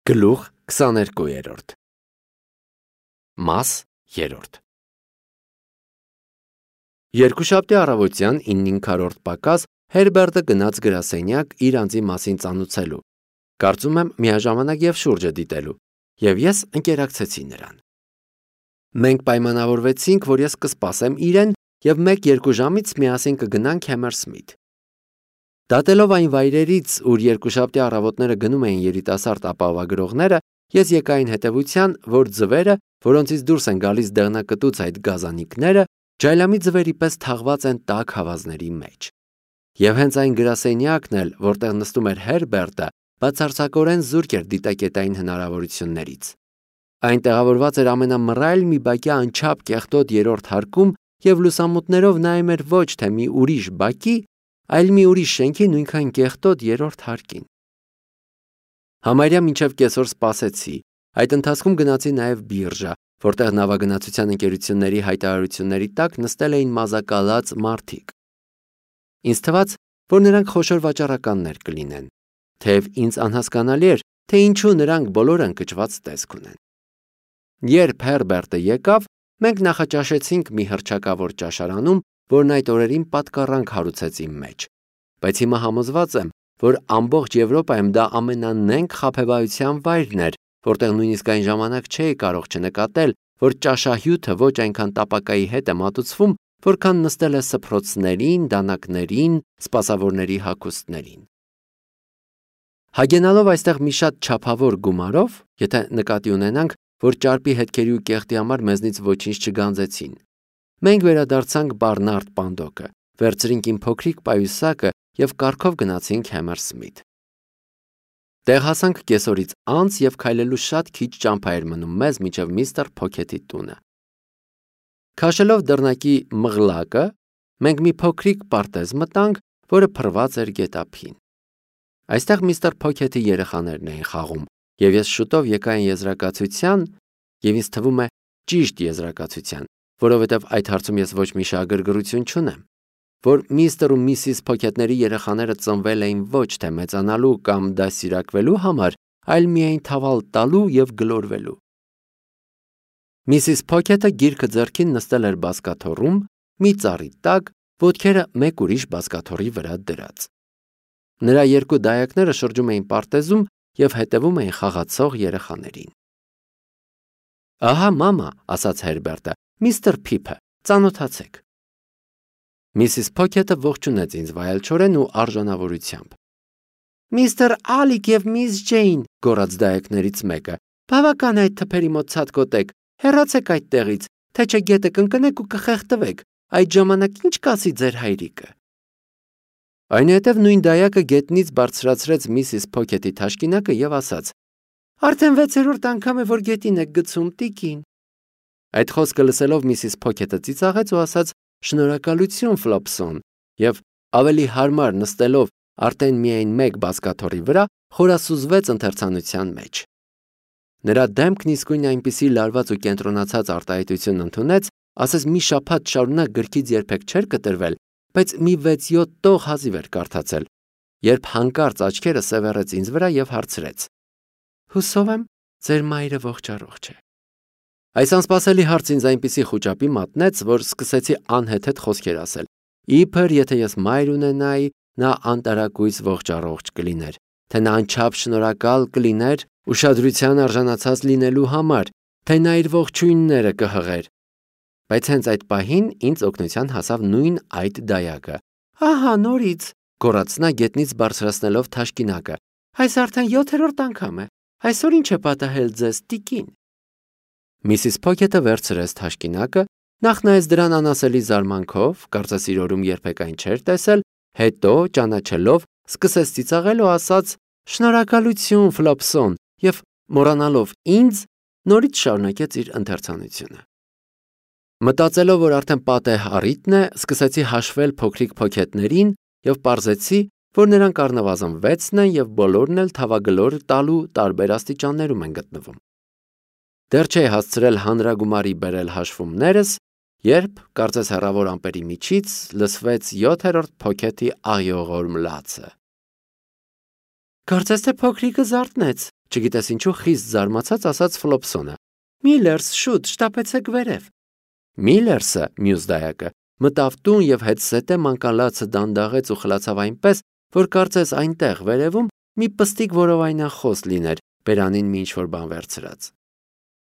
Գլուխ 22 Մաս 3 Երկուշաբթի առավոտյան 9:05 պակաս Հերբերտը գնաց գրասենյակ իր անձի մասին ծանուցելու, կարծում եմ միաժամանակ և շուրջը դիտելու, և ես ընկերակցեցի նրան։ Մենք պայմանավորվեցինք, որ ես կսպասեմ իրեն և 1-2 ժամից միասին կգնանք Համերսմիթ։ Դատելով այն վայրերից, ուր երկուշաբթի առավոտները գնում էին երիտասարդ ապահովագրողները, ես եկա այն հետևության, որ ձվերը, որոնցից դուրս են գալիս դեղնակտուց այդ գազանիկները, ջայլամի ձվերի պես թաղված են տաք հավազների մեջ։ Եվ հենց այն գրասենյակն էլ, որտեղ նստում էր Հերբերտը, բացարձակորեն զուրկ էր դիտակետային հնարավորություններից։ Այն տեղավորված էր ամենամռայլ մի բակի անչափ կեղտոտ երրորդ հարկում և լուսամուտներով նայում էր ոչ թե մի ուրիշ բակի, այլ մի ուրիշ շենքի նույնքան կեղտոտ երրորդ հարկին։ Համարյա մինչև կեսօր սպասեցի, այդ ընթացքում գնացի նաև բիրժա, որտեղ նավագնացության ընկերությունների հայտարարությունների տակ նստել էին մազակալած մարդիկ։ Ինձ թվաց, որ նրանք խոշոր վաճառականներ կլինեն, թեև ինձ անհասկանալի էր, թե ինչու նրանք բոլորը ընկճված տեսք ունեն։ Երբ Հերբերտը եկավ, մենք նախաճաշեցինք մի հռչակավոր ճաշարանում, որն այդ օրերին պատկառանք հարուցեց իմ մեջ, բայց հիմա համոզված եմ, որ ամբողջ Եվրոպայում դա ամենանենգ խաբեբայության վայրն էր, որտեղ նույնիսկ այն ժամանակ չէի կարող չնկատել, որ ճաշահյութը ոչ այնքան տապակայի հետ է մատուցվում, որքան նստել է սփռոցներին, դանակներին, սպասավորների հագուստներին։ Հագենալով այստեղ մի շատ չափավոր գումարով, եթե նկատի ունենանք, որ ճարպի հետքերի ու կեղտի համար մեզնից ոչինչ չգանձեցին, մենք վերադարձանք Բարնարդ Պանդոկը, վերցրինք իմ փոքրիկ պայուսակը և կառքով գնացինք Համերսմիթ։ Տեղ հասանք կեսօրից անց և քայլելու շատ քիչ ճամփա էր մնում մեզ մինչև միստր Փոքեթի տունը։ Քաշելով դռնակի մղլակը, մենք մի փոքրիկ պարտեզ մտանք, որը փռված էր գետափին։ Այստեղ միստր Փոքեթի երեխաներն էին խաղում, և ես շուտով եկա այն եզրակացության, և ինձ թվում է ճիշտ եզրակացության, որովհետև այդ հարցում ես ոչ մի շահագրգռություն չունեմ, որ միստր ու միսիս Փոքեթների երեխաները ծնվել էին ոչ թե մեծանալու կամ դաստիարակվելու համար, այլ միայն թավալ տալու և գլորվելու։ Միսիս Փոքեթը գիրքը ձեռքին նստել էր բազկաթոռում, մի ծառի տակ, ոտքերը մեկ ուրիշ բազկաթոռի վրա դրած։ Նրա երկու դայակները շրջում էին պարտեզում և հետևում էին խաղացող երեխաներին։ «Ահա, մամա», ասաց Հերբերտը, «միստր Փիփը, ծանոթացեք»։ Միսիս Փոքեթը ողջունեց ինձ վայելչորեն ու արժանավորությամբ։ «Միստր Ալիկ և միս Ջեյն», գոռաց դայակներից մեկը, «բավական է այդ թփերի մոտ ցատկոտեք, հեռացեք այդտեղից, թե չէ գետը կընկնեք ու կխեղդվեք, այդ ժամանակ ինչ կասի ձեր հայրիկը»։ Այնուհետև նույն դայակը գետնից բարձրացրեց միսիս Փոքեթի թաշկինակը և ասաց. «Արդեն 6-րդ անգամ է, որ գետին եք գցում, տիկին»։ Այդ խոսքը լսելով միսիս Փոքեթը ծիծաղեց ու ասաց. «Շնորհակալություն, Ֆլոպսոն», և ավելի հարմար նստելով արդեն միայն մեկ բազկաթոռի վրա, խորասուզվեց ընթերցանության մեջ։ Նրա դեմքն իսկույն այնպիսի լարված ու կենտրոնացած արտահայտություն ընդունեց, ասես մի շաբաթ շարունակ գրքից երբեք չէր կտրվել, բայց մի 6-7 տող հազիվ էր կարդացել, երբ հանկարծ աչքերը սևեռեց ինձ վրա և հարցրեց. «Հուսով եմ, ձեր մայրը ողջ է»։ Այս անսպասելի հարցը ինձ այնպիսի խուճապի մատնեց, որ սկսեցի անհեթեթ խոսքեր ասել։ Իբր եթե ես մայր ունենայի, նա անտարակույս ողջ կլիներ, թե նա անչափ շնորհակալ կլիներ ուշադրության արժանացած լինելու համար, թե նա իր ողջույնները կհղեր։ Բայց հենց այդ պահին ինձ օգնության հասավ նույն այդ դայակը։ «Ահա նորից», գոռաց նա գետնից բարձրացնելով թաշկինակը, «այս արդեն 7-րդ անգամ է։ Այսօր ինչ է պատահել ձեզ, տիկին»։ Միսիս Փոքեթը վերցրեց թաշկինակը, նախ նայեց դրան անասելի զարմանքով, կարծես իր օրում երբեք այն չէր տեսել, հետո, ճանաչելով, սկսեց ծիծաղել ու ասաց. «Շնորհակալություն, Ֆլոպսոն», և մոռանալով ինձ, նորից շարունակեց իր ընթերցանությունը։ Մտածելով, որ արդեն պատեհ առիթն է, սկսեցի հաշվել փոքրիկ Փոքեթներին և պարզեցի, որ նրանք առնվազն 6-ն են և բոլորն էլ թավագլոր տալու տարբեր աստիճաններում են գտնվում։ Դեռ չէի հասցրել հանրագումարի բերել հաշվումներս, երբ, կարծես հեռավոր ամպերի միջից, լսվեց 7-րդ Փոքեթի աղիողորմ լացը։ «Կարծես թե փոքրիկը զարթնեց Չգիտես ինչու խիստ զարմացած ասաց Ֆլոպսոնը. Միլլերս, շուտ, շտապեցեք վերև։ Միլլերսը, մյուս դայակը, մտավ տուն եւ հետսետե մանկալացը դանդաղեց ու խլացավ այնպես, որ կարծես այնտեղ վերևում մի պստիկ որովայնախոս լիներ, բերանին մի ինչ-որ բան վերցրած։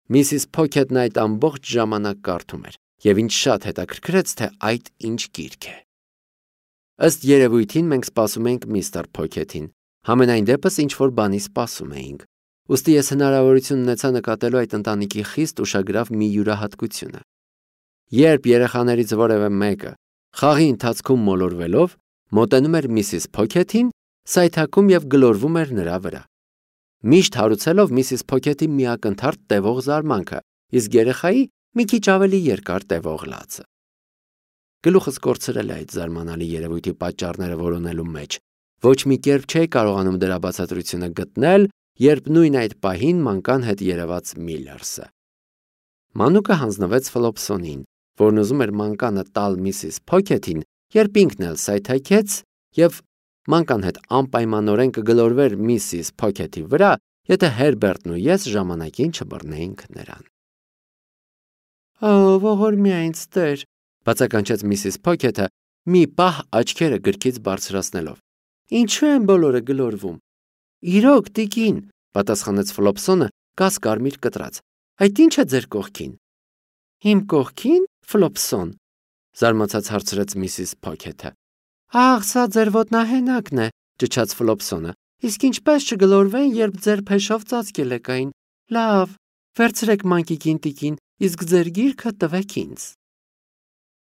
Միսիս Փոքեթն այդ ամբողջ ժամանակ կարդում էր, եւ ինձ շատ հետաքրքրեց, թե այդ ինչ գիրք է։ Ըստ երևույթին մենք սպասում էինք միստր Փոքեթին, համենայն դեպս ինչ-որ բանի սպասում էինք։ Ուստի ես հնարավորություն ունեցա նկատելու այդ ընտանիքի խիստ ուշագրավ մի յուրահատկությունը։ Երբ երեխաներից որևէ մեկը խաղի ընթացքում մոլորվելով մոտենում էր միսիս Փոքեթին, սայթաքում եւ գլորվում էր նրա վրա։ Միշտ հարուցելով միսիս Փոքեթի միակնթարթ տևող զարմանքը, իսկ երեխայի մի քիչ ավելի երկար տևող լացը։ Գլուխս կորցրել է այդ զարմանալի երևույթի պատճառները որոնելու մեջ։ Ոչ մի կերպ չէի կարողանում դրա բացատրությունը գտնել, երբ նույն այդ պահին մանկան հետ երևաց Միլլերսը։ Մանուկը հանձնվեց Ֆլոպսոնին, որն ուզում էր մանկանը տալ միսիս Փոքեթին, երբ ինքն էլ սայթաքեց եւ մանկան հետ անպայմանորեն կգլորվեր միսիս Փոքեթի վրա, եթե Հերբերտն ու ես ժամանակին չբռնեինք նրան։ Ողորմի ինձ Տեր, բացականչեց միսիս Փոքեթը, մի պահ աչքերը գրքից բարձրացնելով։ Ինչու են բոլորը գլորվում։ Իրոք, տիկին, պատասխանեց Ֆլոպսոնը, կաս կարմիր կտրած։ Այդ ի՞նչ է ձեր կողքին։ Իմ կողքին, Ֆլոպսոն, զարմացած հարցրեց միսիս Փոքեթը։ Ահ, սա ձեր ոտնահենակն է, ճչաց Ֆլոպսոնը։ Իսկ ինչպես չգլորվեն, երբ ձեր փեշով ծածկել եք այն։ Լավ, վերցրեք մանկիկին տիկին, իսկ ձեր գիրքը տվեք ինձ։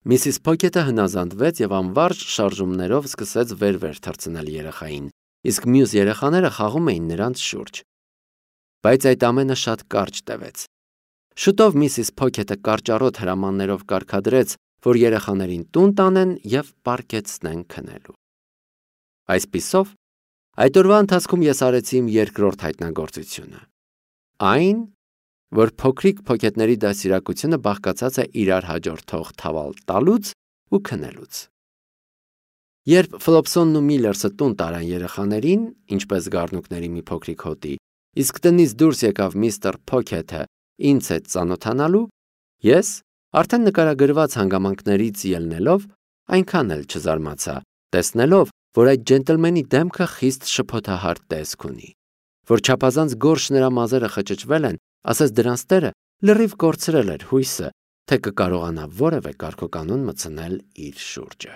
Միսիս Փոքեթը հնազանդվեց եւ անվարժ շարժումներով սկսեց վեր թռցնել երեխային, իսկ մյուս երեխաները խաղում էին նրանց շուրջ։ Բայց այդ ամենը շատ կարճ տևեց։ Շուտով միսիս Փոքեթը կարճառոտ հրամաններով կարգադրեց, որ երեխաներին տուն տանեն եւ պարկեցնեն քնելու։ Այսպիսով, այդ օրվա ընթացքում ես արեցի իմ երկրորդ հայտնագործությունը։ Այն, որ փոքրիկ Փոքեթների դաստիարակությունը բաղկացած է իրար հաջորդող թավալ տալուց ու քնելուց։ Երբ Ֆլոպսոնն ու Միլլերսը տուն տարան երեխաներին, ինչպես գառնուկների մի փոքրիկ հոտի, իսկ տնից դուրս եկավ միստր Փոքեթը ինձ հետ ծանոթանալու, ես, արդեն նկարագրված հանգամանքներից ելնելով, այնքան էլ չզարմացա, տեսնելով, որ այդ ջենտլմենի դեմքը խիստ շփոթահար տեսք ունի, որ չափազանց գորշ նրա մազերը խճճվել են, ասես դրանց տերը լրիվ կորցրել էր հույսը, թե կկարողանա որևէ կարգոկանոն մտցնել իր շուրջը։